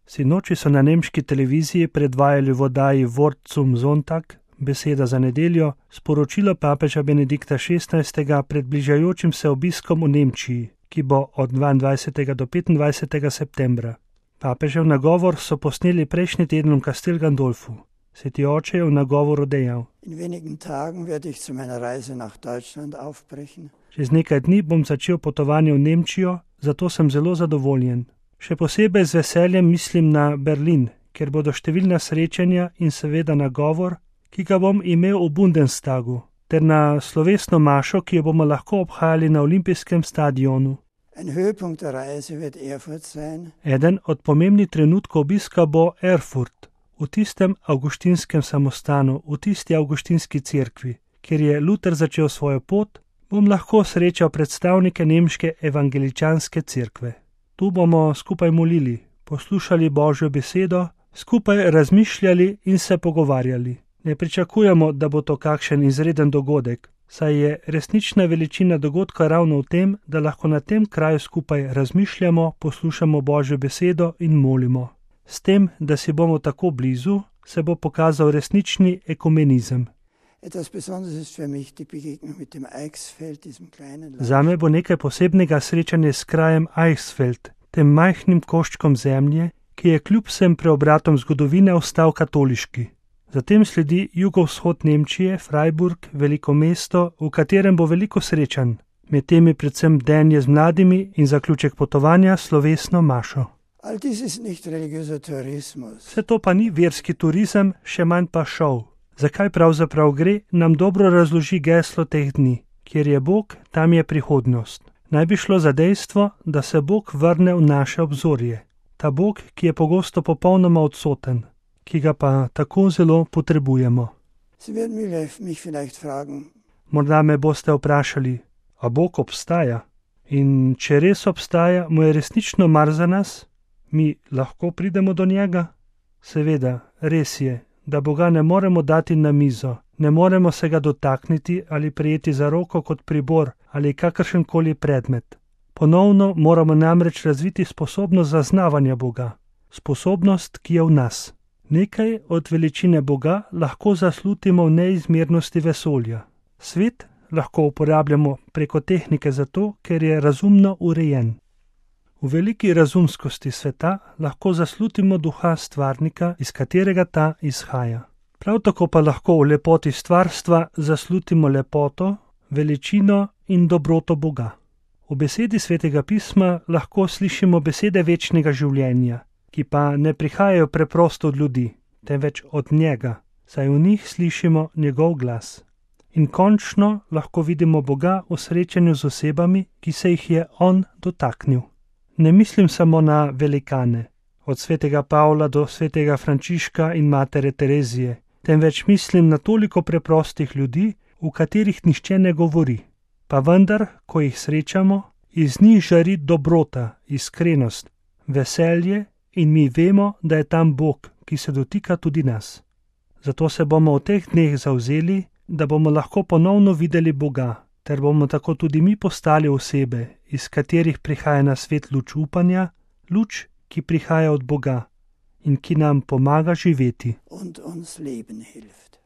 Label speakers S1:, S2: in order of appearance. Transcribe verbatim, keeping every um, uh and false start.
S1: Sinoči so na nemški televiziji predvajali v oddaji Wort zum Sonntag, beseda za nedeljo, sporočilo papeža Benedikta šestnajstega pred bližajočim se obiskom v Nemčiji, ki bo od dvaindvajsetega do petindvajsetega septembra. Papežev nagovor so posneli prejšnji teden v Castel Gandolfu. Sveti oče je v nagovoru dejal:
S2: In wenigen Tagen werde ich zu meiner Reise nach Deutschland aufbrechen.
S1: Čez nekaj dni bom začel potovanje v Nemčijo, zato sem zelo zadovoljen. Še posebej z veseljem mislim na Berlin, kjer bodo številna srečanja in seveda nagovor, ki ga bom imel v Bundestagu, ter na slovesno mašo, ki jo bomo lahko obhajali na olimpijskem stadionu.
S2: Ein Höhepunkt der Reise wird Erfurt sein.
S1: Eden od pomembnih trenutkov obiska bo Erfurt, v tistem avgustinskem samostanu, v tisti avgustinski cerkvi, kjer je Luther začel svojo pot, bom lahko srečal predstavnike nemške evangeličanske cerkve. Tu bomo skupaj molili, poslušali Božjo besedo, skupaj razmišljali in se pogovarjali. Ne pričakujemo, da bo to kakšen izreden dogodek, saj je resnična veličina dogodka ravno v tem, da lahko na tem kraju skupaj razmišljamo, poslušamo Božjo besedo in molimo. S tem, da si bomo tako blizu, se bo pokazal resnični ekumenizem. Zame bo nekaj posebnega srečanje s krajem Eichsfeld, tem majhnim koščkom zemlje, ki je kljub vsem preobratom zgodovine ostal katoliški. Zatem sledi jugovzhod Nemčije, Freiburg, veliko mesto, v katerem bo veliko srečanj, med temi predvsem denje z mladimi in zaključek potovanja slovesno mašo. Vse to pa ni verski turizem, še manj pa šov. Zakaj pravzaprav gre, nam dobro razloži geslo teh dni. Kjer je Bog, tam je prihodnost. Naj bi šlo za dejstvo, da se Bog vrne v naše obzorje. Ta Bog, ki je pogosto popolnoma odsoten, ki ga pa tako zelo potrebujemo. Morda me boste vprašali, a Bog obstaja? In če res obstaja, mu je resnično mar za nas? Mi lahko pridemo do njega? Seveda, res je, da Boga ne moremo dati na mizo, ne moremo se ga dotakniti ali prijeti za roko kot pribor ali kakršenkoli predmet. Ponovno moramo namreč razviti sposobnost zaznavanja Boga, sposobnost, ki je v nas. Nekaj od veličine Boga lahko zaslutimo v neizmernosti vesolja. Svet lahko uporabljamo preko tehnike zato, ker je razumno urejen. V veliki razumskosti sveta lahko zaslutimo duha stvarnika, iz katerega ta izhaja. Prav tako pa lahko v lepoti stvarstva zaslutimo lepoto, veličino in dobroto Boga. V besedi Svetega pisma lahko slišimo besede večnega življenja, ki pa ne prihajajo preprosto od ljudi, temveč od njega, saj v njih slišimo njegov glas. In končno lahko vidimo Boga v srečanju z osebami, ki se jih je on dotaknil. Ne mislim samo na velikane, od svetega Pavla do svetega Frančiška in matere Terezije, temveč mislim na toliko preprostih ljudi, v katerih nihče ne govori. Pa vendar, ko jih srečamo, iz njih žari dobrota, iskrenost, veselje in mi vemo, da je tam Bog, ki se dotika tudi nas. Zato se bomo v teh dneh zavzeli, da bomo lahko ponovno videli Boga, ter bomo tako tudi mi postali osebe, iz katerih prihaja na svet luč upanja, luč, ki prihaja od Boga in ki nam pomaga živeti.
S2: Und uns leben hilft.